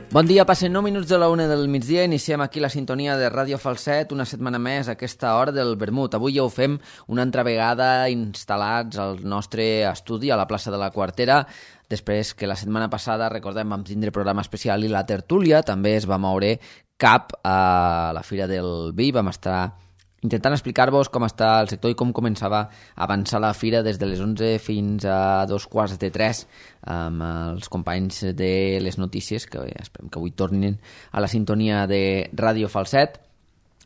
Bon dia, passen 9 minuts de la 1 del migdia, iniciem aquí la sintonia de Ràdio Falset, una setmana més a aquesta hora del vermut. Avui ja ho fem una altra vegada instal·lats al nostre estudi a la plaça de la Quartera, després que la setmana passada, recordem, vam tindre programa especial i la tertúlia, també es va moure cap a la Fira del Vi, vam estar intentant explicar-vos com està el sector i com començava a avançar la fira des de les 11 fins a 2:15 amb els companys de les notícies, que esperem que avui tornin a la sintonia de Ràdio Falset.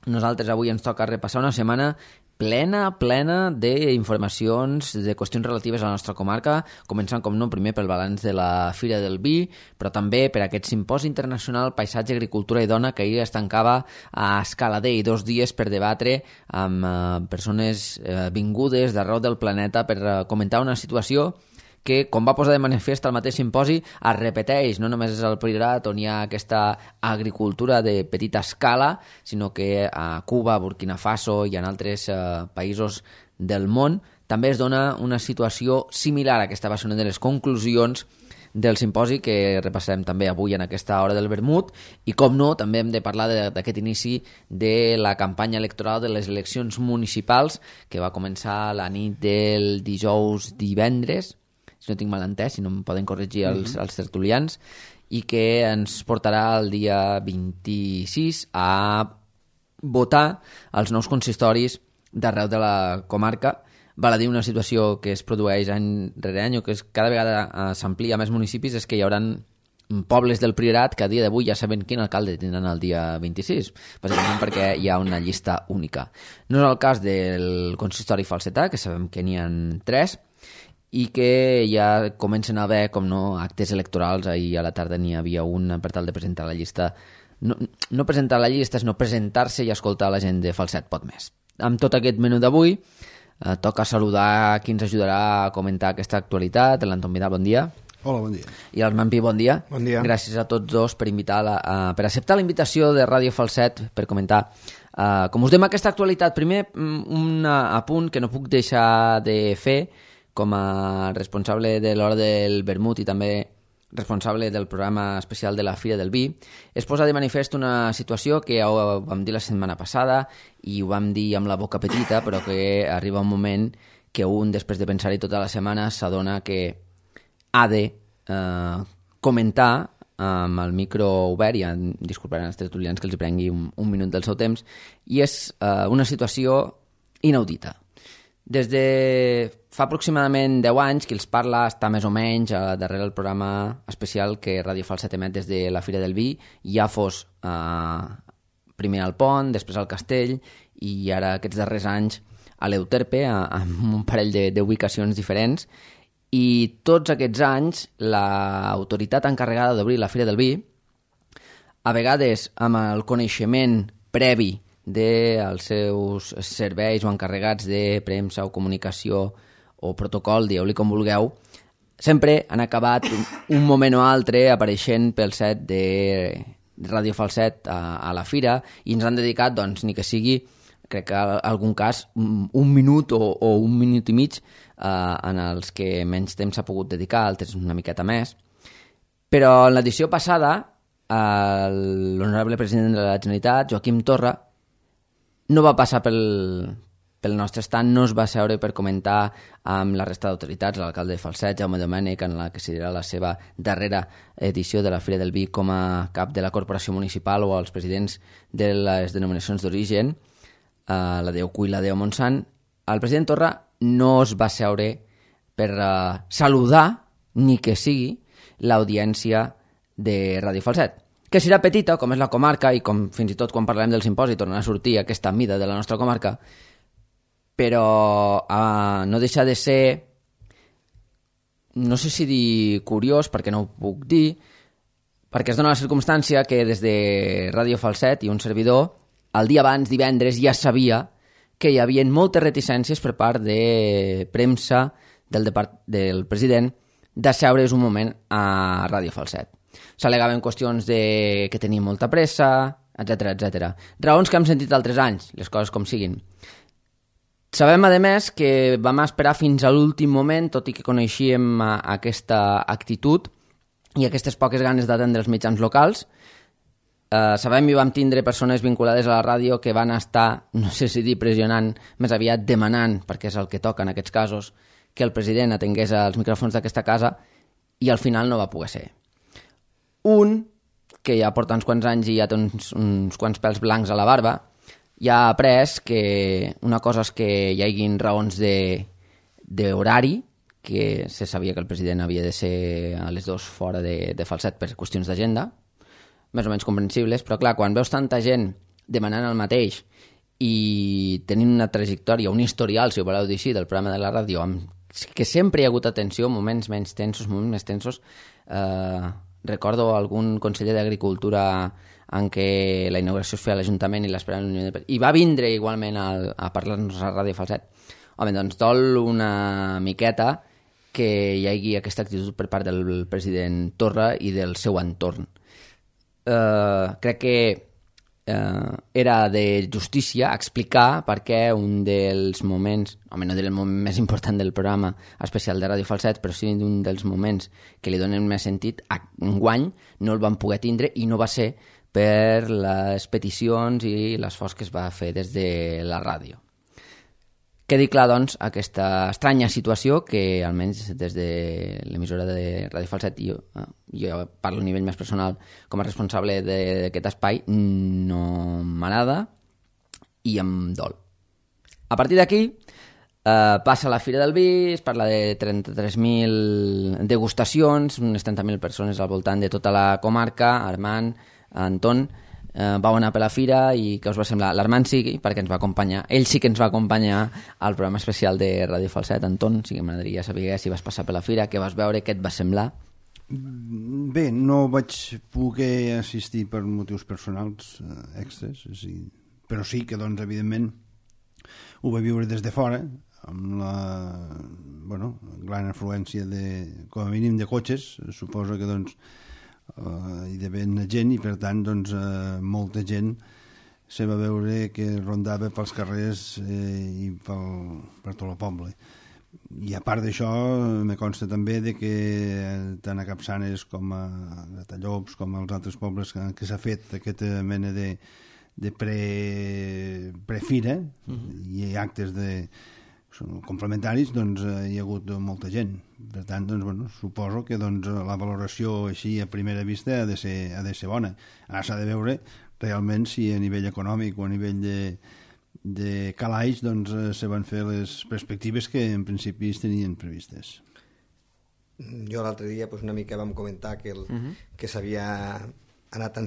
Nosaltres avui ens toca repassar una setmana plena d'informacions, de qüestions relatives a la nostra comarca, començant, com no, primer pel balanç de la Fira del Vi, però també per aquest simposi internacional Paisatge, Agricultura i Dona, que ahir es tancava a Escaladei, 2 dies per debatre amb persones vingudes d'arreu del planeta per comentar una situació que, com va posar de manifest el mateix simposi, es repeteix. No només és el Priorat on hi ha aquesta agricultura de petita escala, sinó que a Cuba, Burkina Faso i en altres països del món també es dona una situació similar. Aquesta va ser una de les conclusions del simposi que repassarem també avui en aquesta hora del vermut i, com no, també hem de parlar d'aquest inici de la campanya electoral de les eleccions municipals que va començar la nit del divendres, si no tinc mal entès, si no em poden corregir els tertulians, i que ens portarà el dia 26 a votar els nous consistoris d'arreu de la comarca. Val a dir, una situació que es produeix any rere any o que cada vegada s'amplia a més municipis és que hi haurà pobles del Priorat que a dia d'avui ja saben quin alcalde tindran el dia 26, bàsicament perquè hi ha una llista única. No és el cas del consistori falsetà, que sabem que n'hi ha 3, i que ja comencen a haver, com no, actes electorals. Ahir a la tarda n'hi havia un per tal de presentar la llista. No presentar la llista, sinó presentar-se i escoltar la gent de Falset Pot Més. Amb tot aquest menú d'avui, toca saludar qui ens ajudarà a comentar aquesta actualitat. L'Anton Vidal, bon dia. Hola, bon dia. I l'Armand Pi, bon dia. Bon dia. Gràcies a tots dos per acceptar la invitació de Ràdio Falset per comentar com us dèiem aquesta actualitat. Primer, un apunt que no puc deixar de fer com a responsable de l'Hora del Vermut i també responsable del programa especial de la Fira del Vi, és posar de manifest una situació que ho vam dir la setmana passada i ho vam dir amb la boca petita, però que arriba un moment que un, després de pensar-hi tota la setmana, s'adona que ha de comentar amb el micro obert, i disculparan els tertulians que els prengui un minut del seu temps, i és una situació inaudita. Des de fa aproximadament 10 anys, qui els parla està més o menys darrere el programa especial que Ràdio Falset emet des de la Fira del Vi, ja fos primer al Pont, després al Castell i ara aquests darrers anys a l'Euterpe, amb un parell d'ubicacions diferents. I tots aquests anys l'autoritat encarregada d'obrir la Fira del Vi, a vegades amb el coneixement previ dels seus serveis o encarregats de premsa o comunicació o protocol, dieu-li com vulgueu, sempre han acabat un moment o altre apareixent pel set de Ràdio Falset a la fira i ens han dedicat, doncs, ni que sigui, crec que en algun cas, un minut o un minut i mig en els que menys temps s'ha pogut dedicar, altres una miqueta més. Però en l'edició passada, l'honorable president de la Generalitat, Joaquim Torra, no va passar pel nostre estant, no es va seure per comentar amb la resta d'autoritats, l'alcalde de Falset, Jaume Domènech, en la que serà la seva darrera edició de la Fira del Vi com a cap de la corporació municipal, o els presidents de les denominacions d'origen, la Déu Cuy i la Déu Montsant. El president Torra no es va seure per saludar, ni que sigui, l'audiència de Ràdio Falset, que serà petita, com és la comarca, i com fins i tot quan parlarem del simposi tornarà a sortir aquesta mida de la nostra comarca, però no deixa de ser, no sé si dir curiós, perquè no ho puc dir, perquè es dona la circumstància que des de Ràdio Falset i un servidor, el dia abans, divendres, ja sabia que hi havia moltes reticències per part de premsa del president de seure's un moment a Ràdio Falset. S'al·legaven qüestions que tenia molta pressa, etc. Raons que hem sentit altres anys, les coses com siguin. Sabem, a més, que vam esperar fins a l'últim moment, tot i que coneixíem aquesta actitud, i aquestes poques ganes d'atendre els mitjans locals. Sabem i vam tindre persones vinculades a la ràdio que van estar, no sé si dir pressionant, més aviat demanant, perquè és el que toca en aquests casos, que el president atengués als micròfons d'aquesta casa, i al final no va poder ser. Un, que ja porta uns quants anys i ja té uns quants pèls blancs a la barba, ja ha après que una cosa és que hi haguin raons d'horari, que se sabia que el president havia de ser a les 2 fora de Falset per qüestions d'agenda, més o menys comprensibles, però clar, quan veus tanta gent demanant el mateix i tenint una trajectòria, un historial, si ho voleu dir així, del programa de la ràdio, que sempre hi ha hagut atenció, moments menys tensos, moments més tensos. Recordo algun conseller d'Agricultura en què la inauguració es feia a l'Ajuntament i va vindre igualment a parlar-nos a Ràdio Falset. Home, doncs dol una miqueta que hi hagi aquesta actitud per part del president Torra i del seu entorn. Crec que era de justícia explicar per què un dels moments, home, no del moment més important del programa especial de Ràdio Falset, però sí un dels moments que li donen més sentit, enguany no el van poder tindre i no va ser per les peticions i l'esforç que es va fer des de la ràdio. Quedi clar, doncs, aquesta estranya situació que, almenys des de l'emissora de Ràdio Falset, jo parlo a nivell més personal com a responsable d'aquest espai, no m'agrada i em dol. A partir d'aquí, passa la Fira del Vi, es parla de 33.000 degustacions, unes 30.000 persones al voltant de tota la comarca. Armand, Anton, vau anar per la fira i què us va semblar? L'Armand sí, perquè ens va acompanyar, ell sí que ens va acompanyar al programa especial de Ràdio Falset. Anton, sí que m'agradaria saber si vas passar per la fira, què vas veure, què et va semblar? Bé, no vaig poder assistir per motius personals extras, però sí que, doncs, evidentment, ho vaig viure des de fora, amb la gran afluència, com a mínim, de cotxes. Suposo que, doncs, hi devia haver gent i, per tant, doncs, molta gent se va veure que rondava pels carrers i per tot el poble. I a part d'això, me consta també de que tant a Capçanes com a Tallops com als altres pobles que s'ha fet aquesta mena de prefira i actes complementaris, doncs hi ha hagut molta gent. Per tant, doncs, suposo que la valoració així a primera vista ha de ser bona. Ara s'ha de veure realment si a nivell econòmic o a nivell de calaix se van fer les perspectives que en principi es tenien previstes. Jo l'altre dia una mica vam comentar que s'havia anat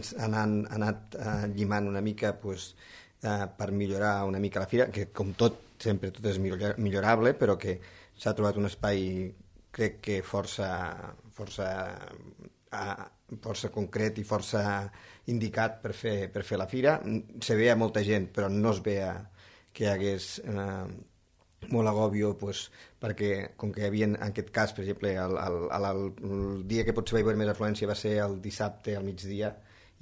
llimant una mica per millorar una mica la fira, que com tot, sempre tot és millorable, però que s'ha trobat un espai, crec que força concret i força indicat per fer la fira. Se veia molta gent, però no es veia que hi hagués molt agòbio, perquè com que hi havia, en aquest cas, per exemple, el dia que potser va haver més afluència va ser el dissabte al migdia.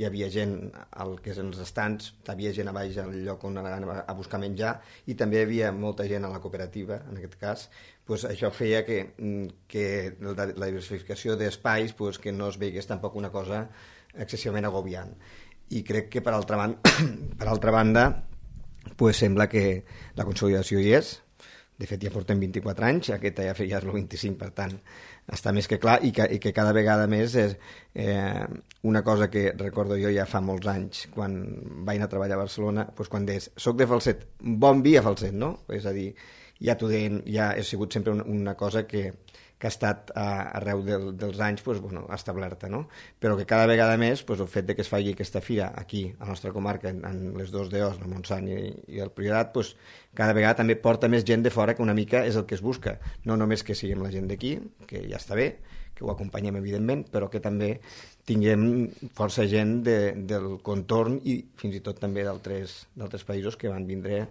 Hi havia gent al que és els estants, hi havia gent a baix al lloc on anaven a buscar menjar, i també hi havia molta gent a la cooperativa, en aquest cas. Això feia que la diversificació d'espais que no es veigués tampoc una cosa excessivament agobiant. I crec que, per altra banda, sembla que la consolidació hi és. De fet, ja portem 24 anys, aquesta ja és el 25, per tant, està més que clar, i que cada vegada més és una cosa que recordo jo ja fa molts anys, quan vaig anar a treballar a Barcelona, quan deies, soc de Falset, bon vi a Falset, no? És a dir, ja ha sigut sempre una cosa que ha estat arreu dels anys establerta, no? Però que cada vegada més el fet que es faci aquesta fira aquí, a la nostra comarca, en les dos d'Eos, el Montsant i el Priorat, cada vegada també porta més gent de fora, que una mica és el que es busca. No només que siguem la gent d'aquí, que ja està bé, que ho acompanyem evidentment, però que també tinguem força gent del contorn i fins i tot també d'altres països que van vindre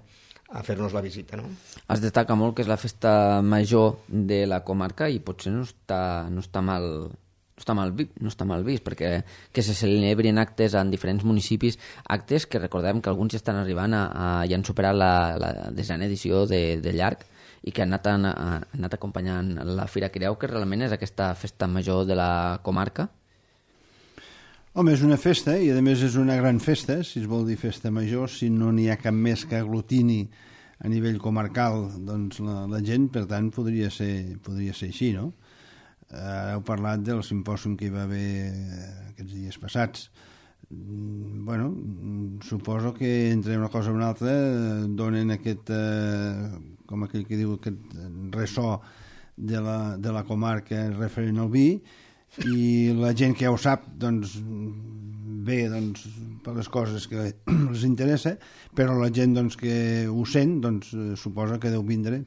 a fer-nos la visita, no? Es destaca molt que és la festa major de la comarca i potser no està mal vist, perquè que se celebrin actes en diferents municipis, actes que recordem que alguns ja estan arribant ja han superat la 10a edició de llarg i que han anat acompanyant la Fira. Creu que realment és aquesta festa major de la comarca? Home, és una festa i a més és una gran festa, si es vol dir festa major, si no n'hi ha cap més que aglutini a nivell comarcal doncs la gent, per tant podria ser així, no? Ara heu parlat del simpòsium que hi va haver aquests dies passats. Bueno, suposo que entre una cosa i una altra donen aquest, com aquell que diu, aquest ressò de la comarca referent al vi, i la gent que ja ho sap doncs ve doncs, per les coses que els interessa, però la gent doncs, que ho sent doncs, suposa que deu vindre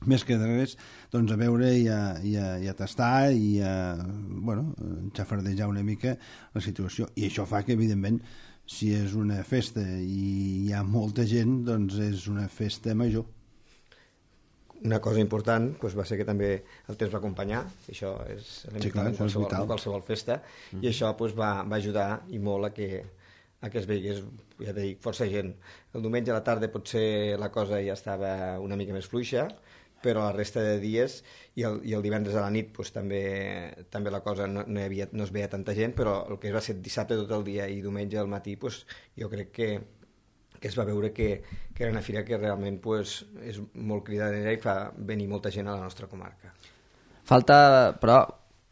més que de res doncs, a veure i a tastar i a xafardejar una mica la situació, i això fa que evidentment si és una festa i hi ha molta gent doncs és una festa major. Una cosa important doncs, va ser que també el temps va acompanyar, això és elemental en qualsevol festa, i això doncs, va ajudar i molt a que es veigués, ja dic, força gent. El diumenge a la tarda potser la cosa ja estava una mica més fluixa, però la resta de dies i el divendres a la nit doncs, també la cosa no es veia tanta gent, però el que va ser dissabte tot el dia i diumenge al matí doncs, jo crec que es va veure que era una fira que realment pues, és molt cridanera i fa venir molta gent a la nostra comarca. Falta, però,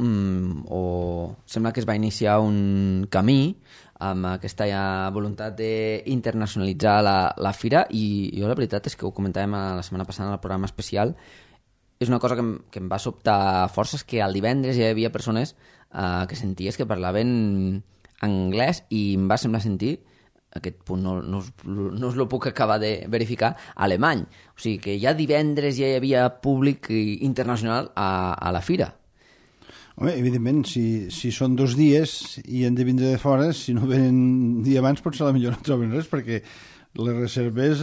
o sembla que es va iniciar un camí amb aquesta voluntat d'internacionalitzar la fira, i jo la veritat és que ho comentàvem la setmana passada en el programa especial, és una cosa que em va sobtar força, és que el divendres ja hi havia persones que senties que parlaven anglès, i em va semblar sentir, aquest punt no us lo puc acabar de verificar, alemany. O sigui que ja divendres ja hi havia públic internacional a la fira. Home, evidentment, si són 2 dies i han de vindre de fora, si no venen un dia abans potser a la millor no troben res, perquè les reserves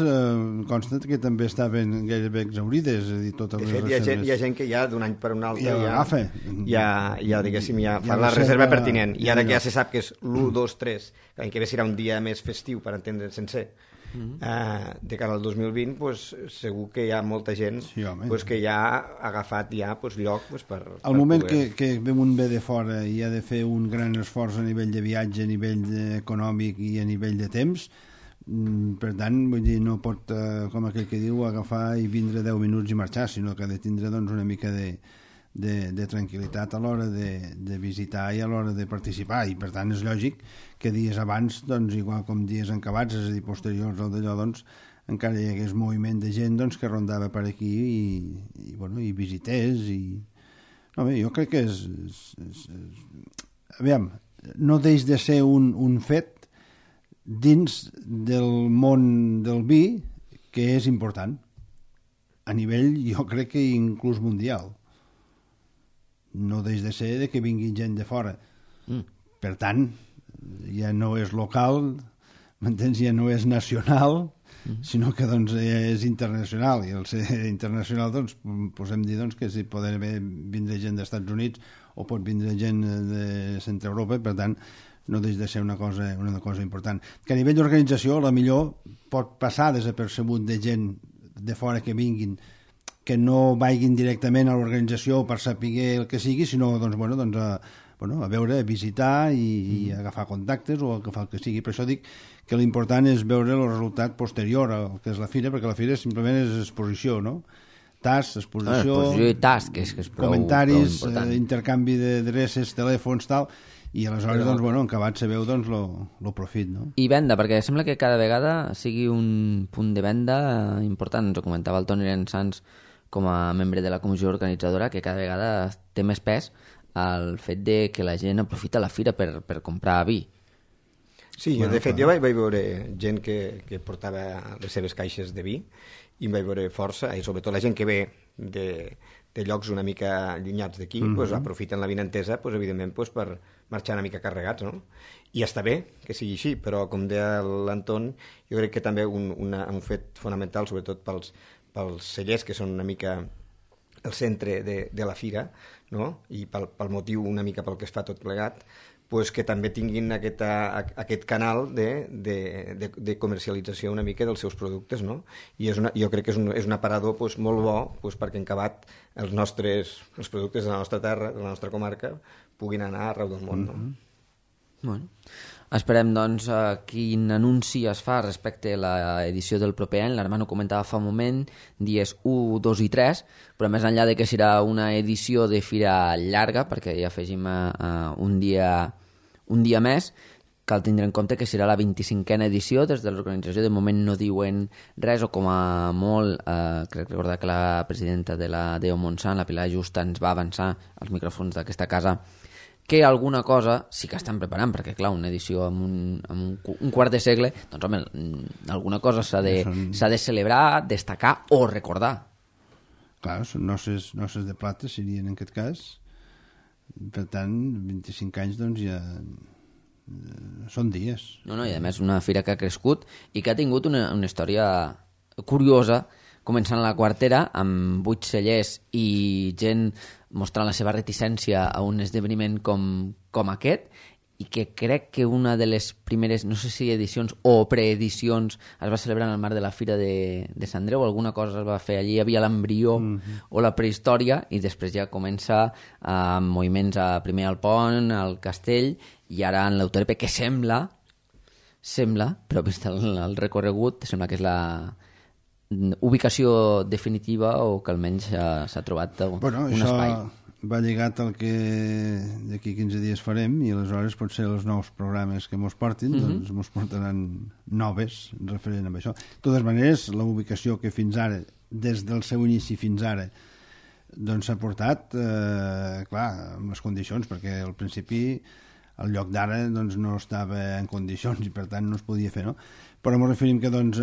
consta que també estaven gairebé exaurides, és a dir, totes les reserves. De fet, hi ha gent que ja d'un any per un altre ja diguéssim, ja fa la reserva pertinent, i ara que ja se sap que és l'1, 2, 3, l'any que ve serà un dia més festiu, per entendre sencer, de cara al 2020, pues, segur que hi ha molta gent que ja ha agafat lloc per al moment que un ve de fora i ha de fer un gran esforç a nivell de viatge, a nivell econòmic i a nivell de temps, per tant, vull dir, no pot, com aquell que diu, agafar i vindre 10 minuts i marxar, sinó que ha de tindre doncs, una mica de tranquil·litat a l'hora de visitar i a l'hora de participar, i per tant és lògic que dies abans, doncs, igual com dies encabats, és a dir, posteriors al d'allò, doncs, encara hi hagués moviment de gent doncs, que rondava per aquí i visités No, bé, jo crec que aviam, no deix de ser un fet dins del món del vi que és important a nivell, jo crec que inclús mundial. No deix de ser de que vingui gent de fora. Per tant, ja no és local, m'entens? Ja no és nacional, sinó que doncs, és internacional, i al ser internacional doncs, podem dir doncs, que si pot vindre gent dels Estats Units o pot vindre gent de Centre Europa, per tant no deix de ser una cosa important. Que a nivell d'organització, la millor pot passar desapercebut de gent de fora que vinguin, que no vagin directament a l'organització per saber el que sigui, sinó doncs, a veure, a visitar i agafar contactes o agafar el que sigui. Per això dic que l'important és veure el resultat posterior al que és la fira, perquè la fira simplement és exposició, no? Exposició i tas, que és prou, comentaris, prou important. intercanvi d'adreces, telèfons, tal, i aleshores, doncs, en acabat se veu doncs, lo profit, no? I venda, perquè sembla que cada vegada sigui un punt de venda important. Ens ho comentava el Toni Sans com a membre de la comissió organitzadora, que cada vegada té més pes el fet de que la gent aprofita la fira per comprar vi. Sí, de fet, jo vaig veure gent que portava les seves caixes de vi i em vaig veure força, i sobretot la gent que ve de llocs una mica allunyats d'aquí, doncs, aprofiten la vinentesa, doncs, evidentment, doncs, per marxar una mica carregats, no? I està bé que sigui així, però com deia l'Anton, jo crec que també un fet fonamental, sobretot pels cellers, que són una mica el centre de la fira, no? I pel motiu una mica pel que es fa tot plegat, pues que també tinguin aquest canal de comercialització una mica dels seus productes, no? I jo crec que és un aparador pues, molt bo pues, perquè en acabat els productes de la nostra terra, de la nostra comarca, puguin anar arreu del món, no? Bueno, esperem, doncs, quin anunci es fa respecte a l'edició del proper any. L'Armand ho comentava fa un moment, dies 1, 2 i 3, però més enllà de que serà una edició de fira llarga, perquè hi afegim un dia més, cal tindre en compte que serà la 25a edició. Des de l'organització de moment no diuen res, o com a molt, crec recordar que la presidenta de la Déu Montsant, la Pilar Justa, ens va avançar als micròfons d'aquesta casa que alguna cosa sí que estan preparant, perquè clar, una edició amb un quart de segle, doncs home, alguna cosa s'ha de celebrar, destacar o recordar. Clar, són noces de plata serien en aquest cas, per tant 25 anys doncs ja són dies. No, i a més una fira que ha crescut i que ha tingut una història curiosa, començant la quartera amb 8 cellers i gent mostrant la seva reticència a un esdeveniment com aquest, i que crec que una de les primeres, no sé si edicions o preedicions, es va celebrar en el marc de la Fira de Sant Andreu, alguna cosa es va fer allí, hi havia l'embrió o la prehistòria, i després ja comença amb moviments primer al pont, al castell, i ara en l'Euterepe, que sembla, però vist el recorregut, sembla que és la ubicació definitiva, o que almenys s'ha trobat un espai. Va lligat al que d'aquí 15 dies farem, i aleshores potser els nous programes que mos portin doncs mos portaran noves referent a això. De totes maneres, la ubicació que fins ara, des del seu inici fins ara, doncs s'ha portat, clar, amb les condicions, perquè al principi el lloc d'ara doncs, no estava en condicions i per tant no es podia fer, no? Però ens referim que doncs,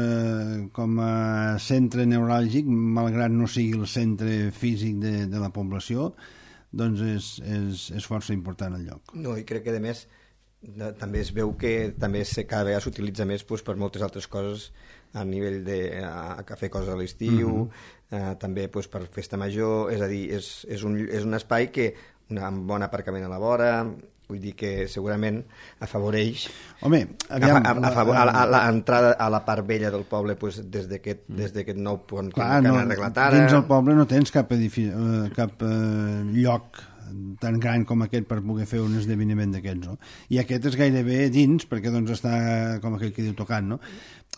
com a centre neuràlgic, malgrat no sigui el centre físic de la població, doncs és força important el lloc. No, i crec que a més també es veu que també cada vegada s'utilitza més doncs, per moltes altres coses a nivell de fer coses a l'estiu, també doncs, per festa major, és a dir, és un espai que amb bon aparcament a la vora, vull dir que segurament afavoreix l'entrada a la part vella del poble pues, des d'aquest nou pont que han arreglat ara. Dins el poble no tens cap lloc tan gran com aquest per poder fer un esdeveniment d'aquests, no? I aquest és gairebé dins, perquè doncs està, com aquell que diu, tocant, no?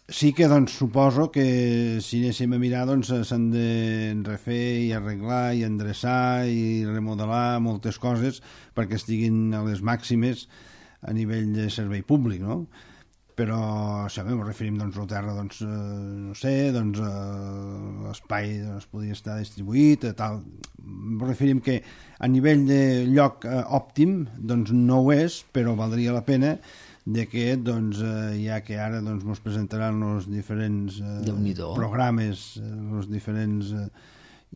Sí que doncs suposo que si anéssim a mirar doncs s'han de refer i arreglar i endreçar i remodelar moltes coses perquè estiguin a les màximes a nivell de servei públic, no? Però si ens referim doncs a la terra, doncs no sé, doncs l'espai es podria estar distribuït, tal. Ens referim que a nivell de lloc òptim doncs no ho és, però valdria la pena de que doncs, ja que ara doncs, ens presentaran els diferents programes, els diferents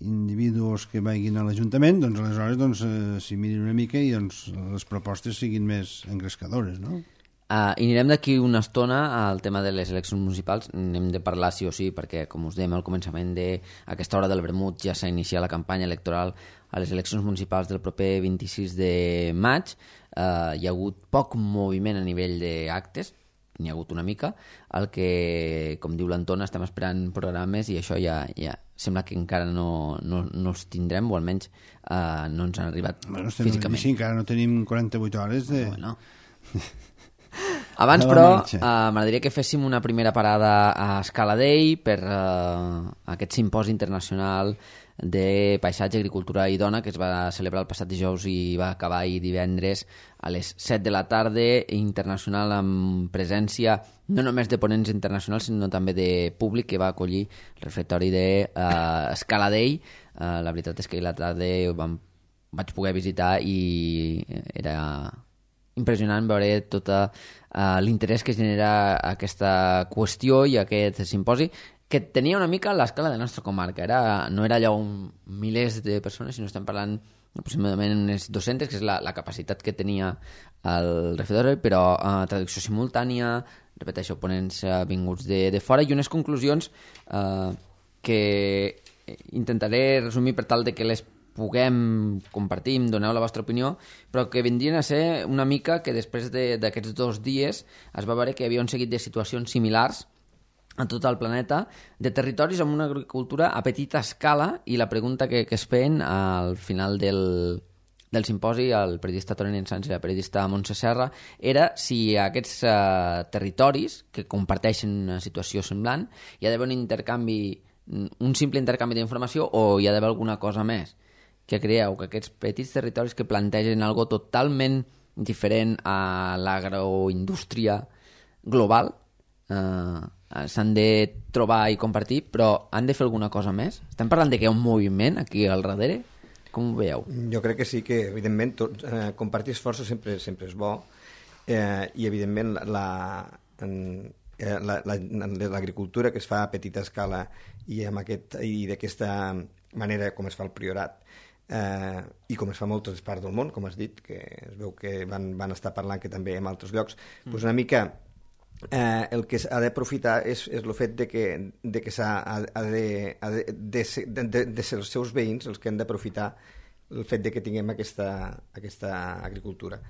individus que vagin a l'Ajuntament, doncs aleshores doncs, s'hi mirin una mica i doncs, les propostes siguin més engrescadores, no? I anirem d'aquí una estona al tema de les eleccions municipals. N'hem de parlar sí o sí, perquè, com us dèiem al començament d'aquesta hora del vermut, ja s'ha iniciat la campanya electoral a les eleccions municipals del proper 26 de maig. Hi ha hagut poc moviment a nivell d'actes, n'hi ha hagut una mica, el que, com diu l'Antona, estem esperant programes i això ja sembla que encara no els tindrem, o almenys no ens han arribat físicament. Sí, encara no tenim 48 hores de... Bueno. Abans, però, m'agradaria que féssim una primera parada a Scala Dei per aquest simposi internacional de paisatge, agricultura i dona que es va celebrar el passat dijous i va acabar ahir divendres a les 7 de la tarda, internacional, amb presència no només de ponents internacionals sinó també de públic que va acollir el refectori de Scala Dei. La veritat és que la tarda vaig poder visitar i era impressionant veure tot l'interès que genera aquesta qüestió i aquest simposi, que tenia una mica l'escala de la nostra comarca. No era allò milers de persones, sinó estem parlant aproximadament unes 200, que és la capacitat que tenia el refectori, però traducció simultània, repeteixo, ponents vinguts de fora, i unes conclusions que intentaré resumir per tal de que les puguem compartir, em doneu la vostra opinió, però que vindrien a ser una mica que després d'aquests 2 dies es va veure que hi havia un seguit de situacions similars a tot el planeta, de territoris amb una agricultura a petita escala, i la pregunta que es feien al final del del simposi, el periodista Toni Ensans i la periodista Montse Serra, era si aquests territoris que comparteixen una situació semblant hi ha d'haver un intercanvi, un simple intercanvi d'informació o hi ha d'haver alguna cosa més. Que creieu que aquests petits territoris que plantegen algo totalment diferent a l'agroindústria global s'han de trobar i compartir, però han de fer alguna cosa més? Estem parlant de que hi ha un moviment aquí al darrere? Com ho veieu? Jo crec que sí, que evidentment compartir esforços sempre és bo, i evidentment l'agricultura que es fa a petita escala i d'aquesta manera com es fa el Priorat, i com es fa a moltes parts del món, com has dit, que es veu que van estar parlant que també en altres llocs, doncs una mica el que s'ha d'aprofitar és el fet de que ha de ser els seus veïns els que han d'aprofitar el fet de que tinguem aquesta agricultura.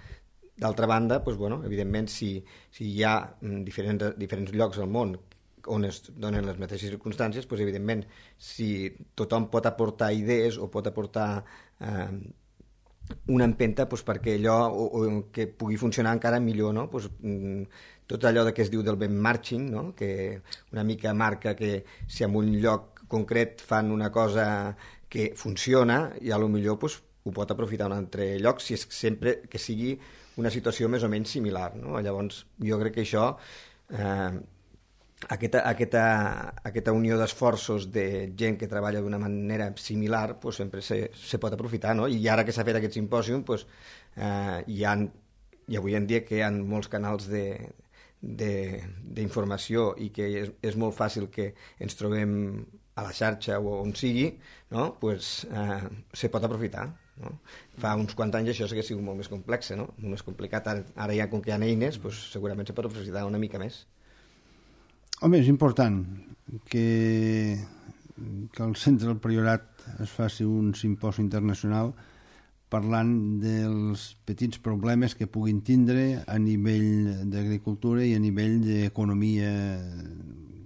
D'altra banda, doncs, bueno, evidentment, si hi ha diferents llocs al món on es donen les mateixes circumstàncies, doncs, evidentment, si tothom pot aportar idees o pot aportar una empenta doncs, perquè allò que pugui funcionar encara millor, no? Doncs, tot allò que es diu del benchmarking, no? Que una mica marca que si en un lloc concret fan una cosa que funciona, i a lo millor doncs, ho pot aprofitar un altre lloc, si és sempre que sigui una situació més o menys similar, no? Llavors, jo crec que això, aquesta unió d'esforços de gent que treballa d'una manera similar, doncs sempre se pot aprofitar, no? I ara que s'ha fet aquest simpòsium, doncs, hi avui en dia que hi ha molts canals d'informació i que és molt fàcil que ens trobem a la xarxa o on sigui, no? Pues, se pot aprofitar, no? Fa uns quants anys això hauria sigut molt més complex, no? Molt més complicat. Ara ja, com que hi ha eines, pues, segurament se pot aprofitar una mica més. Home, és important que al centre del Priorat es faci un simposi internacional parlant dels petits problemes que puguin tindre a nivell d'agricultura i a nivell d'economia,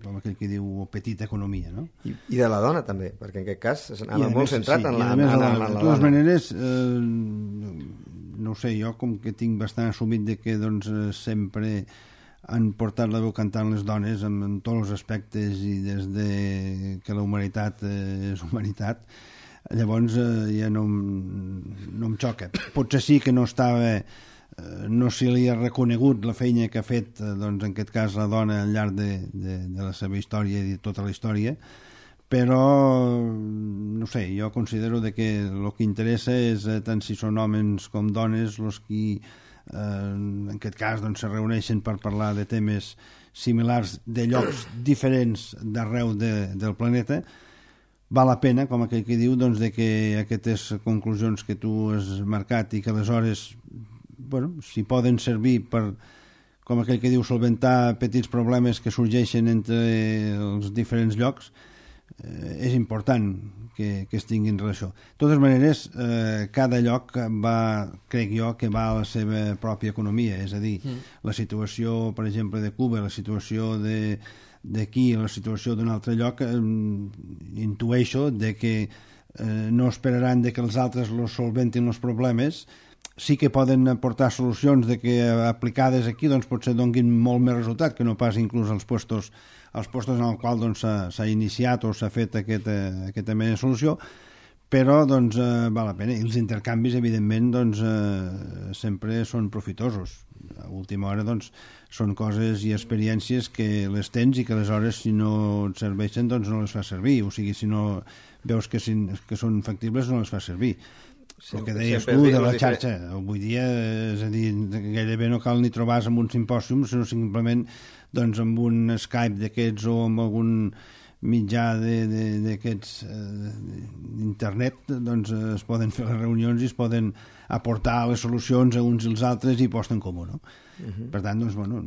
com aquell que diu petita economia, no? I de la dona també, perquè en aquest cas anava molt centrat en la dona. De totes maneres, no ho sé, jo com que tinc bastant assumit de que doncs, sempre han portat la veu cantant les dones en tots els aspectes i des de que la humanitat és humanitat, llavors ja no em xoca. Potser sí que no se li ha reconegut la feina que ha fet, doncs, en aquest cas, la dona al llarg de la seva història i de tota la història, però, no sé, jo considero que el que interessa és, tant si són homes com dones, els qui, en aquest cas, doncs, se reuneixen per parlar de temes similars de llocs diferents d'arreu del planeta. Val la pena, com aquell que diu, doncs, de que aquestes conclusions que tu has marcat i que aleshores, bueno, si poden servir per, com aquell que diu, solventar petits problemes que sorgeixen entre els diferents llocs, és important que es tinguin relació. De totes maneres, cada lloc crec jo, que va a la seva pròpia economia, és a dir, la situació, per exemple, de Cuba, la situació d'aquí, la situació d'un altre lloc, intueixo de que no esperaran de que els altres los solventin els problemes, sí que poden aportar solucions de que aplicades aquí doncs, potser donguin molt més resultat que no pas inclús als puestos en el qual doncs, s'ha iniciat o s'ha fet aquesta mena de solució, però doncs, val la pena. I els intercanvis, evidentment, doncs, sempre són profitosos. A última hora doncs, són coses i experiències que les tens i que aleshores, si no et serveixen, doncs no les fas servir. O sigui, si no veus que són factibles, no les fas servir. El que deies tu de la xarxa, avui dia, és a dir, gairebé no cal ni trobar-se en un simpòsium, sinó simplement doncs, amb un Skype d'aquests o amb algun mitjà d'aquests d'internet, doncs es poden fer les reunions i es poden aportar les solucions a uns i els altres i posten comú, no? Per tant, doncs, bueno,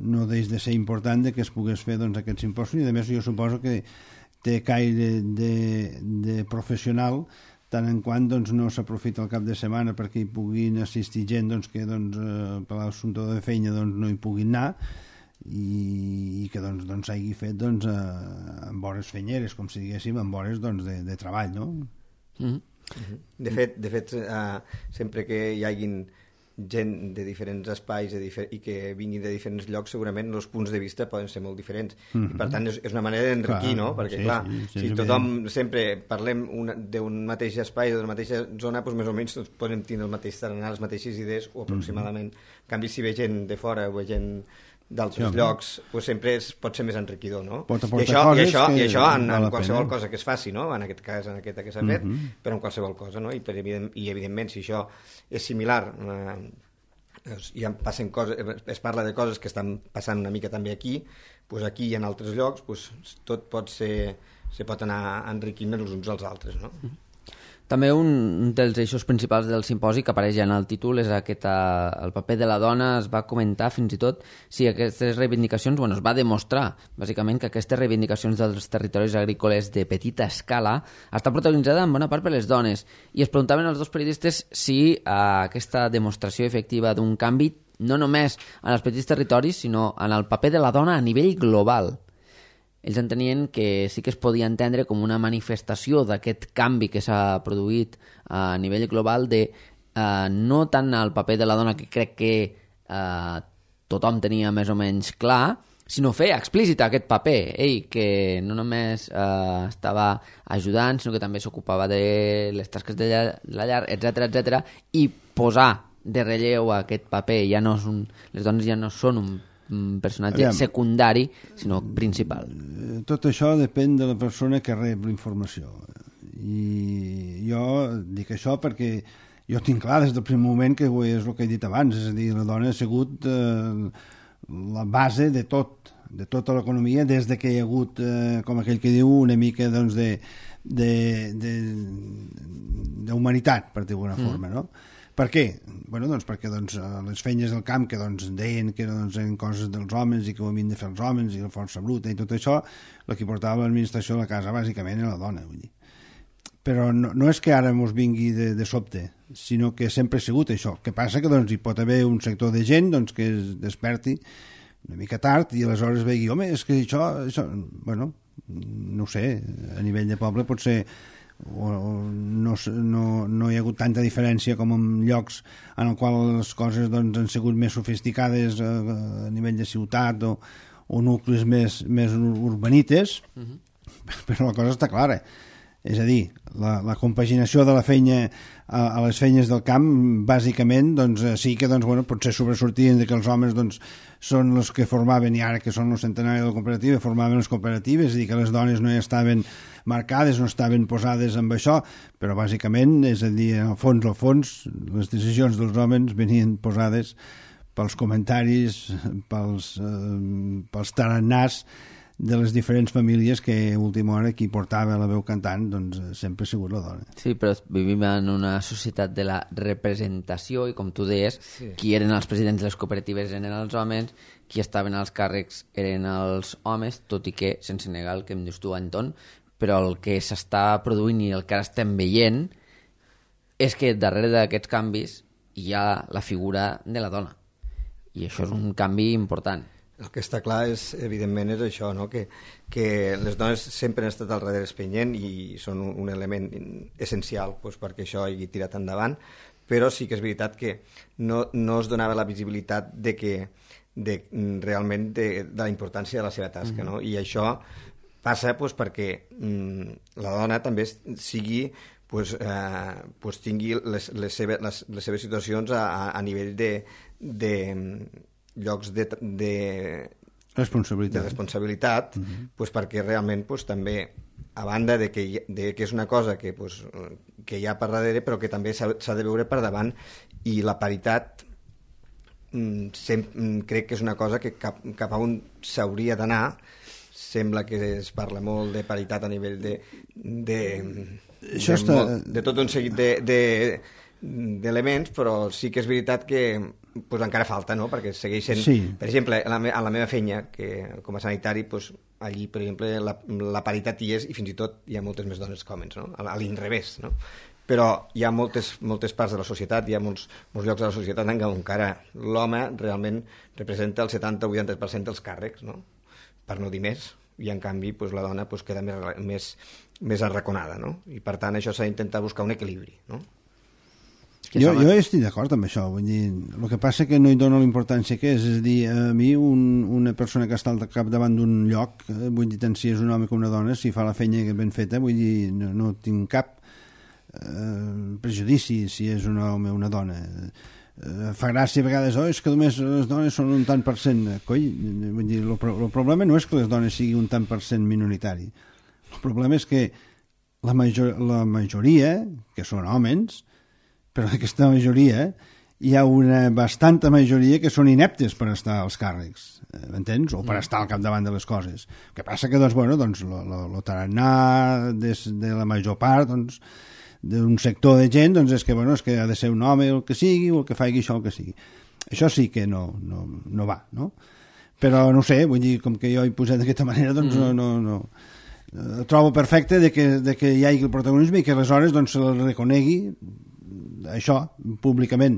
no deix de ser important que es pogués fer doncs, aquest simpòsium, i a més jo suposo que té caire de professional, tant en quant doncs, no s'aprofita el cap de setmana perquè hi puguin assistir gent doncs, que doncs, per l'assumpte de feina doncs, no hi puguin anar, i que doncs s'hagi fet doncs, amb hores fenyeres, com si diguéssim, amb hores doncs, de treball, no? De fet, sempre que hi hagin gent de diferents espais i que vinguin de diferents llocs, segurament els punts de vista poden ser molt diferents. I per tant és una manera d'enriquir, no? Perquè clar, si tothom sempre parlem d'un mateix espai o d'una mateixa zona, doncs més o menys tots podem tenir el mateix tarannà, les mateixes idees o aproximadament. En canvi, si ve gent de fora o ve gent d'altres llocs, doncs sempre pot ser més enriquidor, no? I això en qualsevol cosa que es faci, no? En aquest cas, en aquesta que s'ha fet, però en qualsevol cosa, no? I evidentment, si això és similar, es parla de coses que estan passant una mica també aquí, doncs aquí i en altres llocs, doncs tot se pot anar enriquint els uns als altres, no? També un dels eixos principals del simposi que apareix ja en el títol és el paper de la dona. Es va comentar fins i tot si aquestes reivindicacions, es va demostrar bàsicament que aquestes reivindicacions dels territoris agrícoles de petita escala està protagonitzada en bona part per les dones, i es preguntaven els dos periodistes si aquesta demostració efectiva d'un canvi no només en els petits territoris sinó en el paper de la dona a nivell global. Ells entenien que sí que es podia entendre com una manifestació d'aquest canvi que s'ha produït a nivell global de no tant el paper de la dona, que crec que tothom tenia més o menys clar, sinó fer explícit aquest paper. Ell, que no només estava ajudant, sinó que també s'ocupava de les tasques de la llar, etc, i posar de relleu aquest paper. Les dones ja no són un personatge secundari, sinó principal. Tot això depèn de la persona que rep la informació. I jo dic això perquè jo tinc clar des del primer moment que és el que he dit abans, és a dir, la dona ha sigut la base de tota l'economia des de que hi ha hagut, com aquell que diu, una mica d'humanitat, per dir-ho d'alguna forma, no? Per què? Perquè les feines del camp que deien que eren coses dels homes i que ho havien de fer els homes i la força bruta i tot això, la que portava l'administració de la casa bàsicament era la dona, vull dir. Però no és que ara mos vingui de sobte, sinó que sempre ha sigut això. El que passa que hi pot haver un sector de gent que es desperti una mica tard i aleshores vegi, home, és que això no ho sé, a nivell de poble pot ser no hi ha hagut tanta diferència com en llocs en els quals les coses han sigut més sofisticades a nivell de ciutat o nuclis més urbanites, però la cosa està clara. És a dir, la compaginació de la feina a les feines del camp, bàsicament, sí que potser sobresortien que els homes són els que formaven, i ara que són els centenaris de la cooperativa, formaven les cooperatives, és a dir, que les dones no hi estaven marcades, no estaven posades amb això, però bàsicament, és a dir, al fons, les decisions dels homes venien posades pels comentaris, pels tarannàs de les diferents famílies que a última hora qui portava la veu cantant sempre ha sigut la dona. Sí, però vivim en una societat de la representació i, com tu deies, qui eren els presidents de les cooperatives eren els homes, qui estaven als càrrecs eren els homes, tot i que, sense negar el que em dius tu, Anton, però el que s'està produint i el que ara estem veient és que darrere d'aquests canvis hi ha la figura de la dona. I això és un canvi important. El que està clar evidentment és això, no? Que les dones sempre han estat al darrere espenyent i són un element essencial perquè això hagi tirat endavant, però sí que és veritat que no es donava la visibilitat realment de la importància de la seva tasca, no? I això passa perquè la dona també tingui les seves situacions a nivell de llocs de responsabilitat, perquè realment també, a banda de que és una cosa que hi ha per darrere, però que també s'ha de veure per davant, i la paritat crec que és una cosa que cap a on s'hauria d'anar. Sembla que es parla molt de paritat a nivell de tot un seguit d'elements, però sí que és veritat que encara falta, no? Perquè segueixen... Sí. Per exemple, a la meva feina, que com a sanitari, allí, per exemple, la paritat hi és, i fins i tot hi ha moltes més dones que homes, no? A l'inrevés, no? Però hi ha moltes parts de la societat, hi ha molts llocs de la societat en què encara l'home realment representa el 70 o 80% dels càrrecs, no? Per no dir més. i en canvi doncs, la dona doncs, queda més arraconada, no? I per tant això s'ha d'intentar buscar un equilibri, no? Jo estic d'acord amb això, vull dir, el que passa que no hi dono la importància que és a dir, a mi una persona que està al capdavant d'un lloc, vull dir, tant si és un home com una dona, si fa la feina ben feta, vull dir, no tinc cap prejudici si és un home o una dona. Fa gràcia a vegades, és que només les dones són un tant per cent. Coi, vull dir, el problema no és que les dones siguin un tant per cent minoritari. El problema és que la majoria, que són homes, però d'aquesta majoria hi ha una bastanta majoria que són ineptes per estar als càrrecs, m'entens? O per estar al capdavant de les coses. El que passa que, doncs, el tarannà de la major part, doncs, d'un sector de gent, doncs, és que ha de ser un home el que sigui, o el que faci això el que sigui. Això sí que no va, no? Però no sé, vull dir, com que jo he posat d'aquesta manera, doncs no. Trobo perfecte de que hi hagi el protagonisme i que aleshores doncs, se el reconegui això públicament,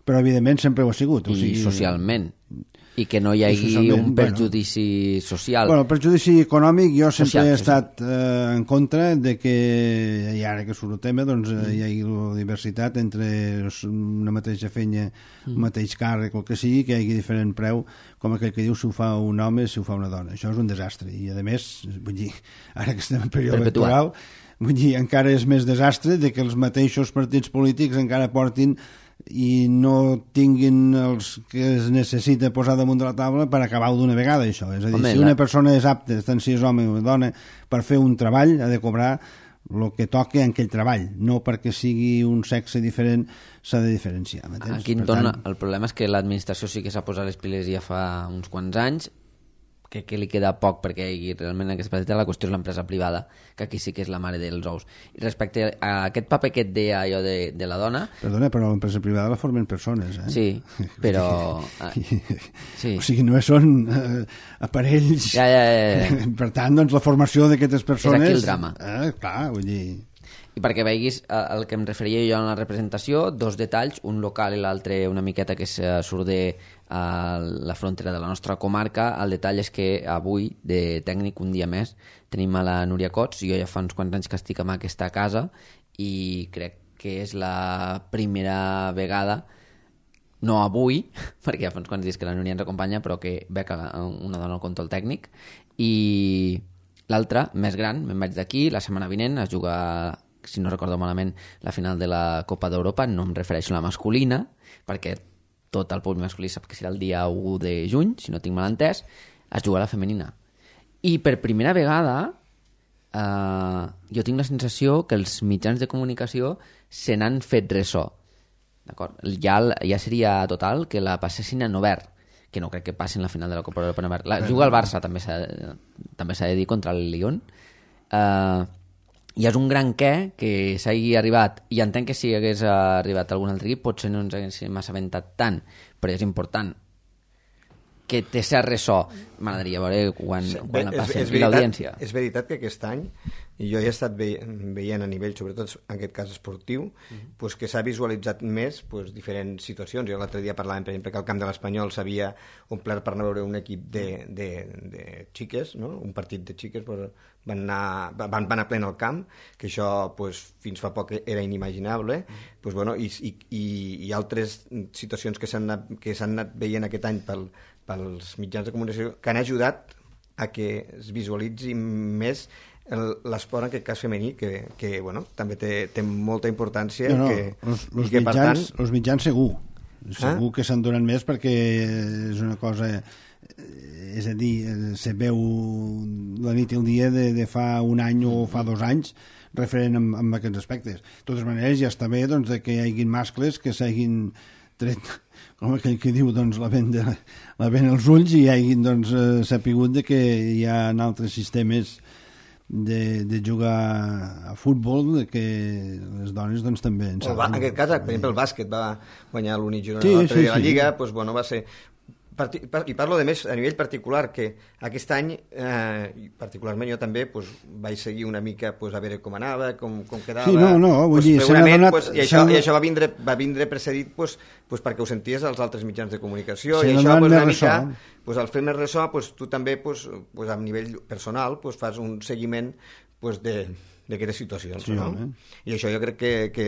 però evidentment sempre ho ha sigut. I socialment, i que no hi hagi un perjudici social. El perjudici econòmic jo sempre he estat en contra de que, i ara que surt el tema, doncs hi hagi la diversitat entre una mateixa feina, un mateix càrrec, el que sigui, que hi hagi diferent preu, com aquell que diu si ho fa un home, si ho fa una dona. Això és un desastre, i a més, vull dir, ara que estem en període electoral, vull dir, encara és més desastre de que els mateixos partits polítics encara portin i no tinguin els que es necessita posar damunt de la taula per acabar-ho d'una vegada, això. És a dir, si una persona és apta, tant si és home o dona, per fer un treball, ha de cobrar el que toca en aquell treball, no perquè sigui un sexe diferent s'ha de diferenciar. Aquí el problema és que l'administració sí que s'ha posat les piles ja fa uns quants anys, que li queda poc perquè realment aquesta petita la qüestió és l'empresa privada, que aquí sí que és la mare dels ous. I respecte a aquest paper que et deia jo de la dona... Perdona, però l'empresa privada la formen persones, eh? Sí, però... Sí. O sigui, no són aparells... Ja. Per tant, doncs, la formació d'aquestes persones... És aquí el drama. Clar, vull dir... I perquè veiguis el que em referia jo en la representació, dos detalls, un local i l'altre una miqueta que surt de la frontera de la nostra comarca. El detall és que avui, de tècnic, un dia més, tenim a la Núria Cots. Jo ja fa uns quants anys que estic en aquesta casa i crec que és la primera vegada, no avui, perquè ja fa uns quants dies que la Núria ens acompanya, però que veig una dona al control tècnic. I l'altra, més gran, me'n vaig d'aquí, la setmana vinent es juga, si no recordo malament, la final de la Copa d'Europa. No em refereixo a la masculina, perquè tot el públic masculí sap que serà el dia 1 de juny, si no tinc mal entès, es juga la femenina. I per primera vegada jo tinc la sensació que els mitjans de comunicació se n'han fet ressò. D'acord? Ja seria total que la passessin en obert, que no crec que passin la final de la Copa d'Europa en obert. Juga el Barça, també s'ha de dir, contra el Lyon. I és un gran que s'hagi arribat, i entenc que si hagués arribat algun altre equip potser no ens haguéssim assabentat tant, però és important que té cert ressò. M'agradaria veure quan la passem. I l'audiència. És veritat que aquest any, i jo he estat veient a nivell, sobretot en aquest cas esportiu, pues que s'ha visualitzat més diferents situacions. Jo l'altre dia parlàvem, per exemple, que al camp de l'Espanyol s'havia omplert per anar a veure un equip de xiques, no? Un partit de xiques, van anar plena al camp, que això fins fa poc era inimaginable, i altres situacions que s'han anat veient aquest any pels mitjans de comunicació que han ajudat a que es visualitzi més l'esport, en aquest cas femení, que també té molta importància. Els mitjans segur que s'han donat més, perquè és una cosa, és a dir, se veu la nit i el dia de fa un any o fa 2 anys referent amb aquests aspectes. De totes maneres, ja està bé doncs, que hi hagin mascles que s'hagin tret, com aquell que diu, doncs, la vent als ulls, i hi hagin sapigut que hi ha altres sistemes de jugar a futbol, que les dones doncs, també en saben. En aquest cas, per exemple, el bàsquet va guanyar l'Uni Girona l'altre dia a la Lliga, va ser I parlo de més a nivell particular, que aquest any, particularment jo també, pues, vaig seguir una mica pues, a veure com anava, com quedava... Sí, vull pues, dir, se n'ha donat... Pues, i això va vindre precedit pues, perquè ho senties als altres mitjans de comunicació, i això pues, una mica, pues, al fer més ressò, pues, tu també pues, a nivell personal pues, fas un seguiment pues, d'aquestes situacions, sí, no? I això jo crec que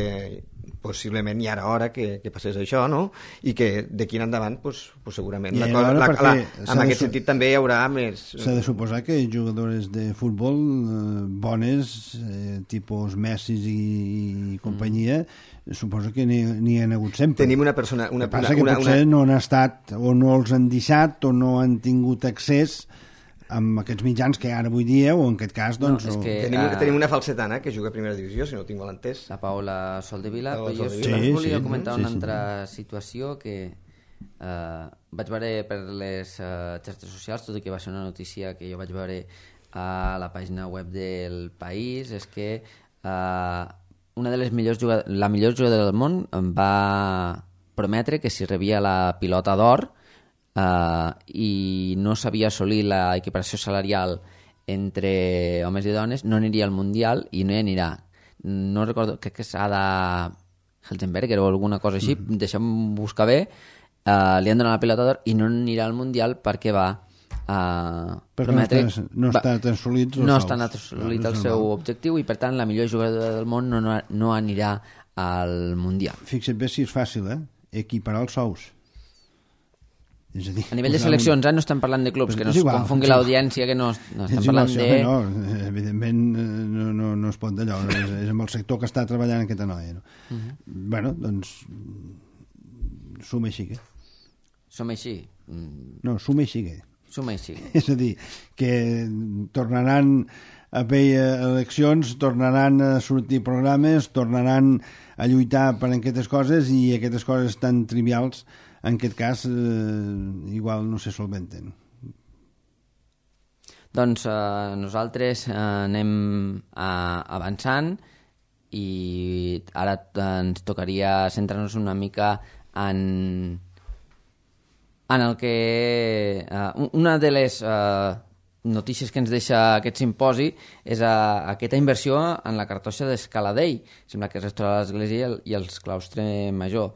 possiblement hi ha hora que passés això, no? I que d'aquí en endavant pues, segurament en aquest sentit també hi haurà més... S'ha de suposar que jugadores de futbol bones, tipus Messi i companyia, suposo que n'hi ha hagut sempre. Tenim una persona... El que passa que potser no han estat, o no els han deixat, o no han tingut accés amb aquests mitjans que ara avui dia, o en aquest cas, doncs... No, tenim una falsetana que juga a primera divisió, si no ho tinc mal entès. La Paula Soldevila, però jo volia comentar una altra situació que vaig veure per les xarxes socials, tot i que va ser una notícia que jo vaig veure a la pàgina web del País, és que una de les la millor jugadora del món em va prometre que si rebia la pilota d'or i no sabia assolir l'equiparació salarial entre homes i dones, no aniria al Mundial i no hi anirà. No recordo, crec que és Ada Helzenberger o alguna cosa així, deixa'm buscar bé, li han donat la pilota d'or i no anirà al Mundial perquè va prometre... No està assolit el seu objectiu i per tant la millor jugadora del món no anirà al Mundial. Fixa't bé si és fàcil, equiparar els sous. És a dir, a nivell de seleccions, no estem parlant de clubs, que no es confongui l'audiència, que no estem parlant de... No, evidentment no es pot d'allò, és amb el sector que està treballant aquesta noia. No? Bueno, doncs, suma i sigue. Som així? No, suma i sigue. Suma i sigue. És a dir, que tornaran a haver eleccions, tornaran a sortir programes, tornaran a lluitar per aquestes coses i aquestes coses tan trivials en aquest cas igual no se solventen. Doncs nosaltres anem avançant i ara ens tocaria centrar-nos una mica en el que... una de les notícies que ens deixa aquest simposi és aquesta inversió en la cartoixa d'Escaladei. Sembla que es restaurarà l'església i el claustre major.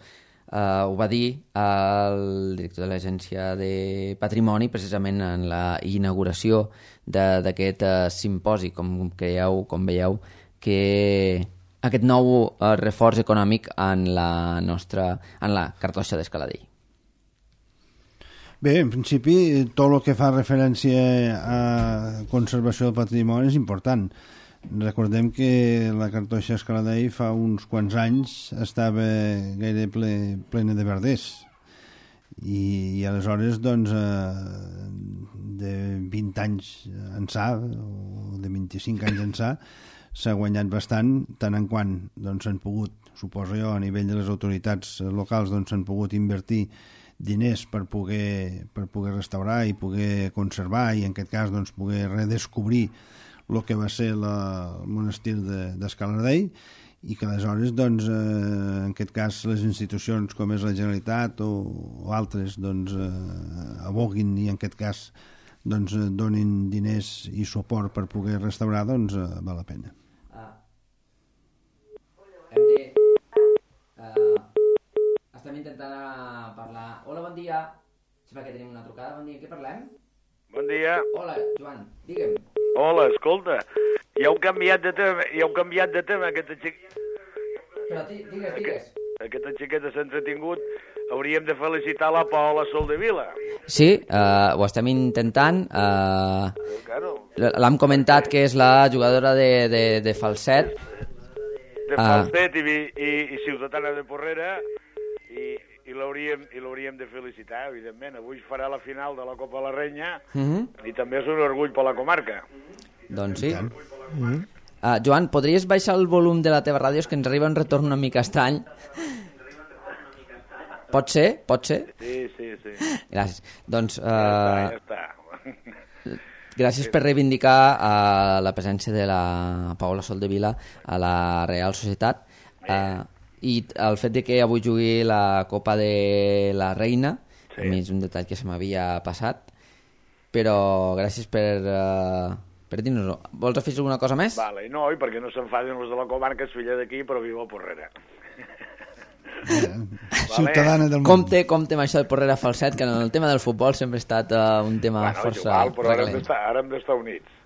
Ho va dir el director de l'Agència de Patrimoni precisament en la inauguració d'aquest simposi. Com veieu, que aquest nou reforç econòmic en la cartoixa d'Escaladei. Bé, en principi, tot el que fa referència a conservació del patrimoni és important. Recordem que la cartoixa Escaladei fa uns quants anys estava gaire plena de verders i aleshores doncs de 20 anys ençà o de 25 anys ençà s'ha guanyat bastant, tant en quant doncs s'han pogut, suposo jo, a nivell de les autoritats locals doncs s'han pogut invertir diners per poder restaurar i poder conservar i en aquest cas doncs poder redescobrir el que va ser el monestir d'Escaladei i que aleshores doncs, en aquest cas les institucions com és la Generalitat o altres doncs, aboguin i en aquest cas doncs, donin diners i suport per poder restaurar, doncs val la pena. Estem intentant parlar. Hola, bon dia. Sembla que tenim una trucada. Bon dia, què parlem? Bon dia. Hola, Joan, digue'm. Hola, escolta, ja heu canviat de tema, aquesta xiqueta. Però digues. Aquesta xiqueta s'ha entretingut, hauríem de felicitar la Paola Soldevila. Sí, ho estem intentant. Claro. L'hem comentat que és la jugadora de falset. De falset i ciutadana de Porrera, i l'hauríem de felicitar, evidentment. Avui farà la final de la Copa de la Reina i també és un orgull per la comarca. Doncs sí. Joan, podries baixar el volum de la teva ràdio? És que ens arriba un retorn una mica estrany. Pot ser? Sí. Gràcies. Doncs... Ja està. Gràcies per reivindicar la presència de la Paola Soldevila a la Real Societat. I el fet de que avui jugui la Copa de la Reina A mi és un detall que se m'havia passat, però gràcies per dir-nos-ho. Vols afegir alguna cosa més? Vale, no, i perquè no s'enfadin els de la comarca, és filla d'aquí, però viu a Porrera. Ciutadana del món. Compte amb això del Porrera Falset, que en el tema del futbol sempre ha estat un tema força igual, però ara hem d'estar units.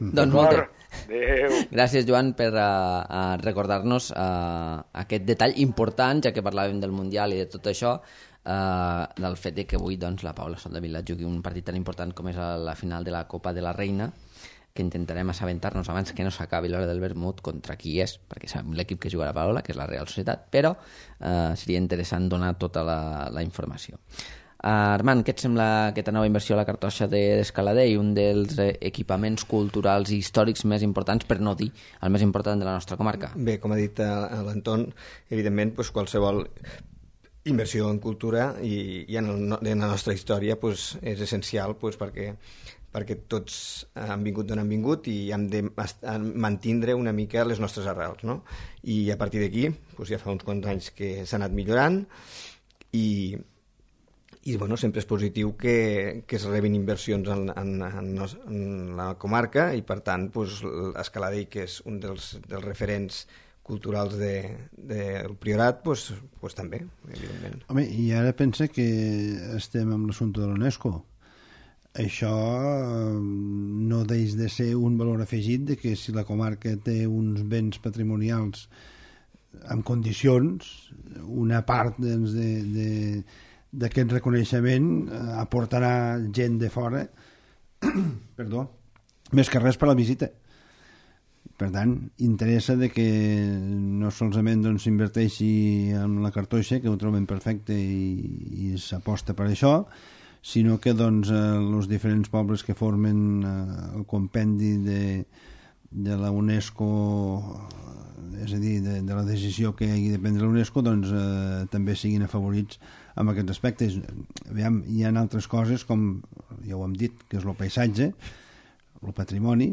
Doncs molt bé. Adéu. Gràcies, Joan, per recordar-nos aquest detall important, ja que parlàvem del Mundial i de tot això, del fet que avui doncs, la Paula Soldevila jugui un partit tan important com és la final de la Copa de la Reina, que intentarem assabentar-nos abans que no s'acabi l'hora del vermut contra qui és, perquè sabem l'equip que juga la Paula, que és la Real Societat, però seria interessant donar tota la informació. Armand, què et sembla aquesta nova inversió a la cartoixa d'Escaladei, un dels equipaments culturals i històrics més importants, per no dir el més important de la nostra comarca? Bé, com ha dit l'Anton, evidentment qualsevol inversió en cultura i en la nostra història és essencial perquè tots han vingut d'on han vingut i hem de mantindre una mica les nostres arrels, no? I a partir d'aquí ja fa uns quants anys que s'ha anat millorant i bueno, sempre és positiu que es rebin inversions en la comarca i per tant Escaladei, que és un dels referents culturals del Priorat, també, evidentment. Home, i ara pensa que estem amb l'assumpte de l'UNESCO. Això no deix de ser un valor afegit de que si la comarca té uns béns patrimonials en condicions, una part d'aquest reconeixement aportarà gent de fora perdó, més que res per la visita. Per tant, interessa de que no solament s'inverteixi en la cartoixa, que ho troben perfecte i s'aposta per això, sinó que els diferents pobles que formen el compendi de la UNESCO, és a dir, de la decisió que hagi de prendre la UNESCO, també siguin afavorits amb aquests aspectes. Aviam, hi ha altres coses, com ja ho hem dit, que és el paisatge, el patrimoni,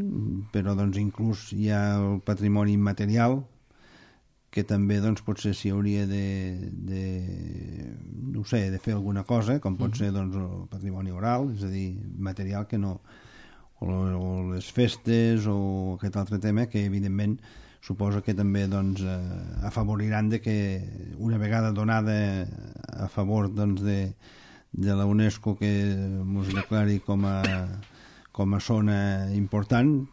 però inclús hi ha el patrimoni immaterial, que també potser s'hi hauria no sé, de fer alguna cosa, com pot ser el patrimoni oral, és a dir, material que no, o les festes o aquest altre tema que evidentment suposo que també afavoriran de que una vegada donada a favor de la UNESCO que ens declari com a zona important,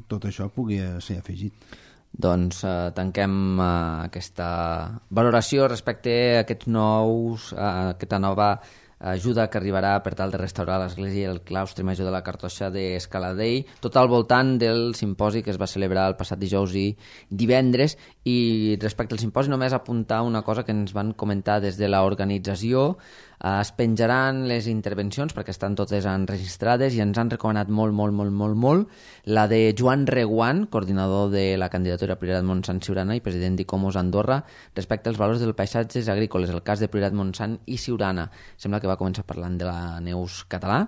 tot això pugui ser afegit. Doncs tanquem aquesta valoració respecte a aquesta nova ajuda que arribarà per tal de restaurar l'església i el claustre major de la cartoixa d'Escaladei, tot al voltant del simposi que es va celebrar el passat dijous i divendres. I respecte al simposi només apuntar una cosa que ens van comentar des de l'organització. Es penjaran les intervencions perquè estan totes enregistrades i ens han recomanat molt la de Joan Reguant, coordinador de la candidatura Priorat Montsant Siurana i president d'Icomos Andorra, respecte als valors dels paisatges agrícoles, el cas de Priorat Montsant i Siurana. Sembla que va començar parlant de la Neus català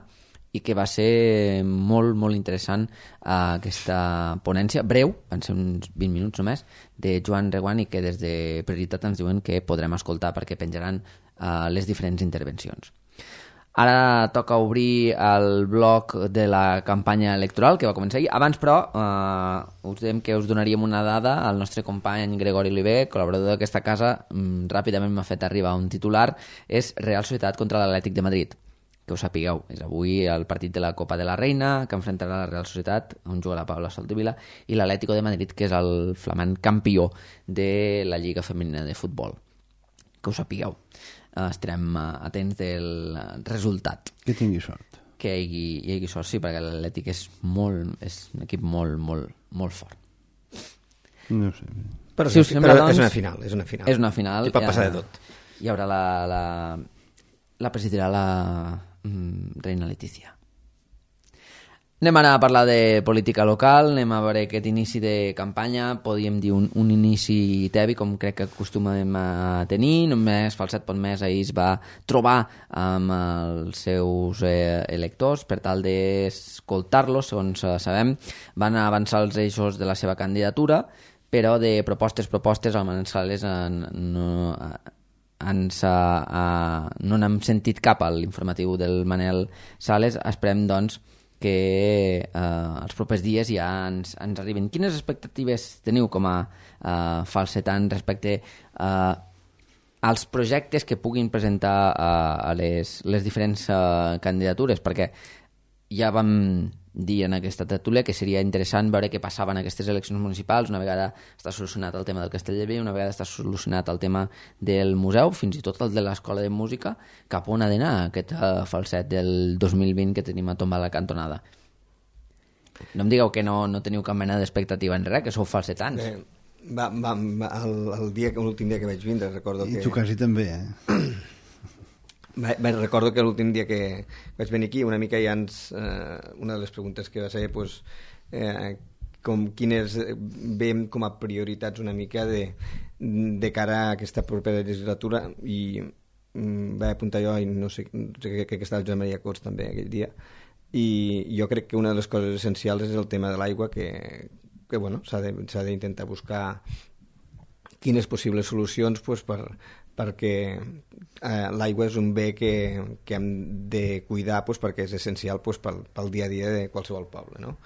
i que va ser molt interessant aquesta ponència, breu, van ser uns 20 minuts només, de Joan Reguant, i que des de Prioritat ens diuen que podrem escoltar perquè penjaran les diferents intervencions. Ara toca obrir el bloc de la campanya electoral que va començar ahir. Abans, però, us dèiem que us donaríem una dada. El nostre company Gregori Oliver, col·laborador d'aquesta casa, ràpidament m'ha fet arribar un titular. És Real Societat contra l'Atlètic de Madrid. Que ho sapigueu, és avui el partit de la Copa de la Reina, que enfrontarà la Real Societat, on juga la Paula Soldevila, i l'Atlético de Madrid, que és el flamant campió de la Lliga Femenina de Futbol. Que ho sapigueu. Estarem atents del resultat. Que tingui sort. Que hi hagi sort, sí, perquè l'Atlètic és un equip molt fort. No sé. Però si us sembla, però és una final. És una final. I pot passar de tot. Hi haurà la presidirà la reina Letícia. Anem ara a parlar de política local, anem a veure aquest inici de campanya, podríem dir un inici tebi, com crec que acostumem a tenir. Només Falset Pontmès ahir es va trobar amb els seus electors per tal d'escoltar-los, segons sabem. Van avançar els eixos de la seva candidatura, però de propostes al Manzanares no n'hem sentit cap a l'informatiu del Manel Sales. Esperem, doncs, que els propers dies ja ens arribin. Quines expectatives teniu com a falsetant respecte als projectes que puguin presentar a les diferents candidatures? Perquè ja vam dir en aquesta tertúlia que seria interessant veure què passava en aquestes eleccions municipals una vegada està solucionat el tema del Castellbell, una vegada està solucionat el tema del museu, fins i tot el de l'Escola de Música, cap on ha d'anar aquest falset del 2020 que tenim a tombar a la cantonada. No em digueu que no teniu cap mena d'expectativa en res, que sou falsetants. L'últim dia que vaig vindre, recordo que... I tu quasi també, Recordo que l'últim dia que vaig venir aquí una mica ja una de les preguntes que va ser quines veiem com a prioritats una mica de cara a aquesta propera legislatura, i vaig apuntar jo, i no sé, crec que estava Joan Maria Cots també aquell dia, i jo crec que una de les coses essencials és el tema de l'aigua, que bueno, s'ha d'intentar buscar quines possibles solucions perquè l'aigua és un bé que hem de cuidar perquè és essencial pel dia a dia de qualsevol poble, no?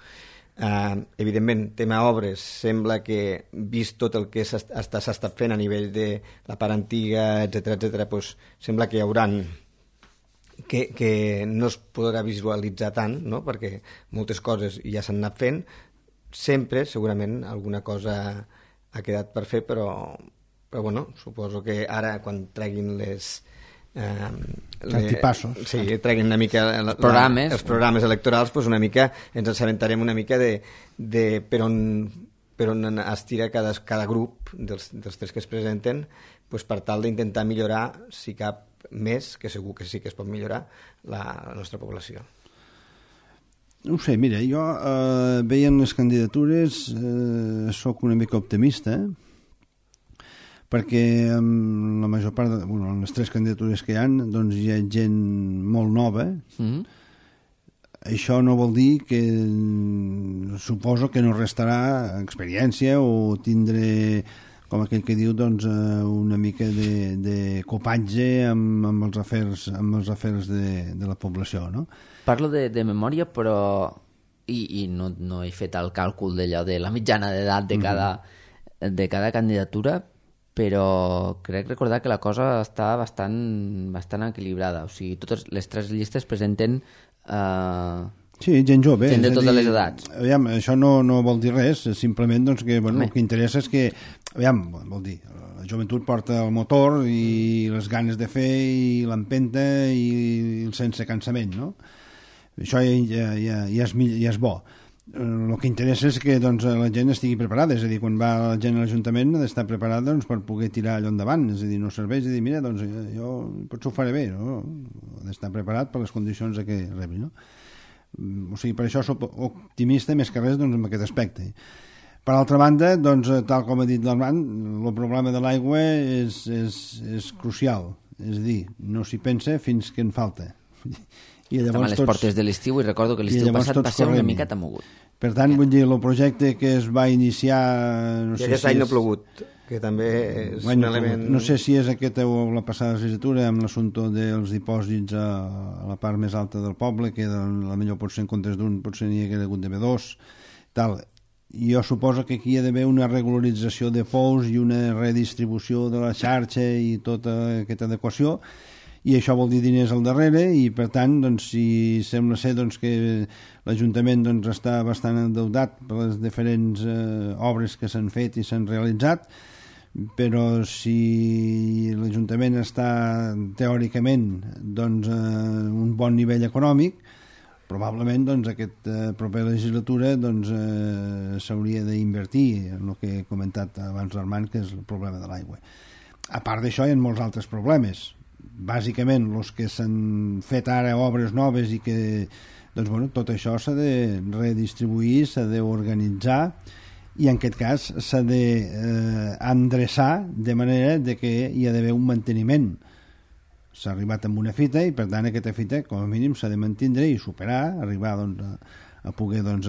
Evidentment, tema obres, sembla que, vist tot el que s'ha estat fent a nivell de la part antiga, etc., sembla que hi hauran que no es podrà visualitzar tant, no? Perquè moltes coses ja s'han anat fent, sempre, segurament, alguna cosa ha quedat per fer, però bueno, suposo que ara quan treguin Cartipassos. Sí, treguin una mica els programes electorals, una mica ens assabentarem una mica de per on es tira cada grup dels tres que es presenten, per tal d'intentar millorar, si cap més, que segur que sí que es pot millorar, la nostra població. No ho sé, mira, jo veient les candidatures sóc una mica optimista, perquè en la major part en les tres candidatures que hi ha, doncs hi ha gent molt nova. Això no vol dir que suposo que no restarà experiència o tindré, com aquell que diu, doncs una mica de copatge amb els afers de la població, no? Parlo de memòria, però i no he fet el càlcul d'allò de la mitjana d'edat de cada candidatura, però crec recordar que la cosa està bastant equilibrada. O sigui, totes les tres llistes presenten sí, gent jove. Gent de totes les edats. Aviam, això no vol dir res, simplement doncs, que el que interessa és que, vol dir, la joventut porta el motor i les ganes de fer i l'empenta i el sense cansament, no? Això ja és bo. El que interessa és que doncs, la gent estigui preparada, és a dir, quan va la gent a l'Ajuntament ha d'estar preparada doncs, per poder tirar allò endavant, és a dir, no serveix de dir, mira, doncs jo potser ho faré bé, no? Ha d'estar preparat per les condicions que rebi, no? O sigui, per això soc optimista més que res doncs, en aquest aspecte. Per altra banda, doncs, tal com ha dit l'Armand, el problema de l'aigua és crucial, és a dir, no s'hi pensa fins que en falta. I estem a les portes de l'estiu i recordo que l'estiu passat va ser una miqueta mogut. Per tant, vull dir, el projecte que es va iniciar... I aquest any no ha plogut, que també és un element... No sé si és aquesta o la passada legislatura amb l'assumpte dels dipòsits a la part més alta del poble, que la millor potser en comptes d'un potser n'hi hagués hagut d'haver dos, tal. Jo suposo que aquí hi ha d'haver una regularització de pous i una redistribució de la xarxa i tota aquesta adequació, i això vol dir diners al darrere, i per tant, doncs, si sembla ser doncs, que l'Ajuntament doncs, està bastant endeutat per les diferents obres que s'han fet i s'han realitzat, però si l'Ajuntament està teòricament doncs, un bon nivell econòmic, probablement doncs, aquesta propera legislatura doncs, s'hauria d'invertir en el que he comentat abans l'Armand, que és el problema de l'aigua. A part d'això hi ha molts altres problemes. Bàsicament, els que s'han fet ara obres noves i que doncs, bueno, tot això s'ha de redistribuir, s'ha d'organitzar i en aquest cas s'ha d'endreçar de manera de que hi ha d'haver un manteniment. S'ha arribat amb una fita i per tant aquesta fita com a mínim s'ha de mantindre i superar, arribar doncs, a poder doncs,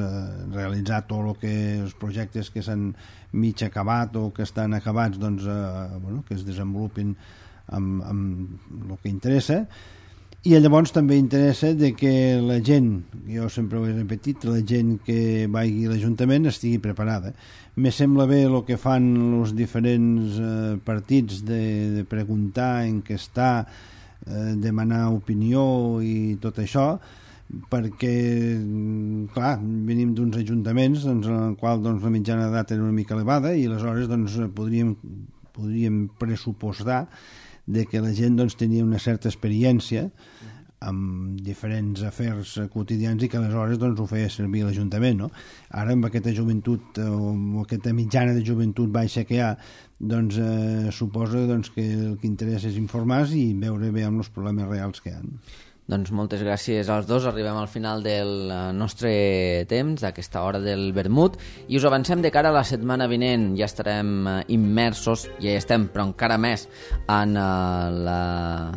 realitzar tot el que els projectes que s'han mig acabat o que estan acabats doncs, bueno, que es desenvolupin amb el que interessa, i llavors també interessa de que la gent, jo sempre ho he repetit, la gent que vagi a l'Ajuntament estigui preparada. Me sembla bé el que fan els diferents partits de preguntar, enquestar, demanar opinió i tot això, perquè, clar, venim d'uns ajuntaments en el qual la mitjana d'edat era una mica elevada i aleshores podríem pressupostar de que la gent tenia una certa experiència amb diferents afers quotidians i que aleshores ho feia servir a l'Ajuntament, no? Ara amb aquesta joventut o amb aquesta mitjana de joventut baixa que hi ha, suposa que el que interessa és informar i veure bé amb els problemes reals que hi ha. Doncs moltes gràcies als dos. Arribem al final del nostre temps, d'aquesta hora del vermut, i us avancem de cara a la setmana vinent. Ja estarem immersos, ja hi estem, però encara més, en la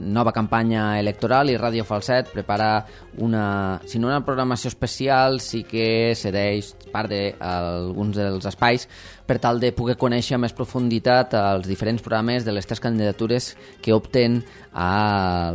nova campanya electoral, i Ràdio Falset prepara si no una programació especial, sí que cedeix part d'alguns dels espais per tal de poder conèixer amb més profunditat els diferents programes de les 3 candidatures que opten a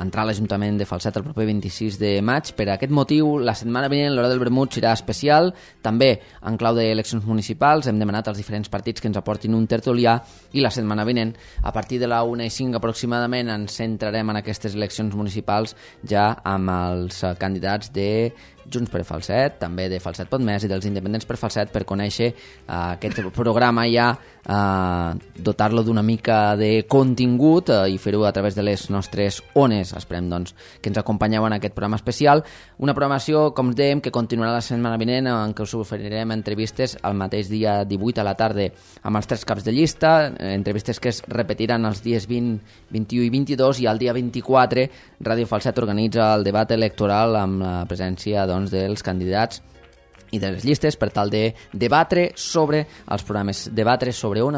entrar a l'Ajuntament de Falset el proper 26 de maig. Per aquest motiu, la setmana vinent l'Hora del Vermut serà especial, també en clau d'eleccions municipals. Hem demanat als diferents partits que ens aportin un tertulià, i la setmana vinent, a partir de la 1:05 aproximadament, ens centrarem en aquestes eleccions municipals ja amb els candidats de Junts per Falset, també de Falset Podmès i dels Independents per Falset, per conèixer aquest programa ja, dotar-lo d'una mica de contingut i fer-ho a través de les nostres ones. Esperem que ens acompanyeu en aquest programa especial, una programació, com dèiem, que continuarà la setmana vinent, en què us oferirem entrevistes el mateix dia 18 a la tarda amb els 3 caps de llista, entrevistes que es repetiran els dies 20, 21 i 22, i el dia 24 Ràdio Falset organitza el debat electoral amb la presència dels candidats i de les llistes per tal de debatre sobre els programes, debatre sobre on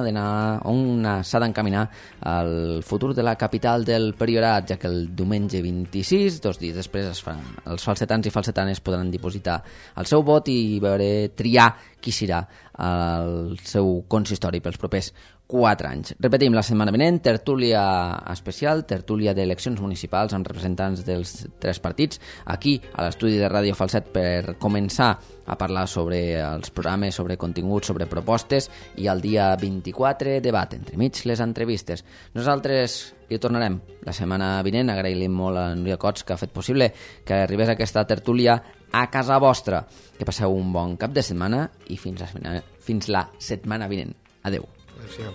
s'ha d'encaminar el futur de la capital del Priorat, ja que el diumenge 26, 2 dies després, els falsetans i falsetanes podran dipositar el seu vot i triar qui serà el seu consistori pels propers 4 anys. Repetim, la setmana vinent, tertúlia especial, tertúlia d'eleccions municipals amb representants dels 3 partits, aquí a l'estudi de Ràdio Falset, per començar a parlar sobre els programes, sobre continguts, sobre propostes, i el dia 24 debat, entremig les entrevistes. Nosaltres hi tornarem la setmana vinent. Agraïm molt a Núria Cots, que ha fet possible que arribés aquesta tertúlia a casa vostra. Que passeu un bon cap de setmana i fins la setmana vinent. Adeu. Adéu.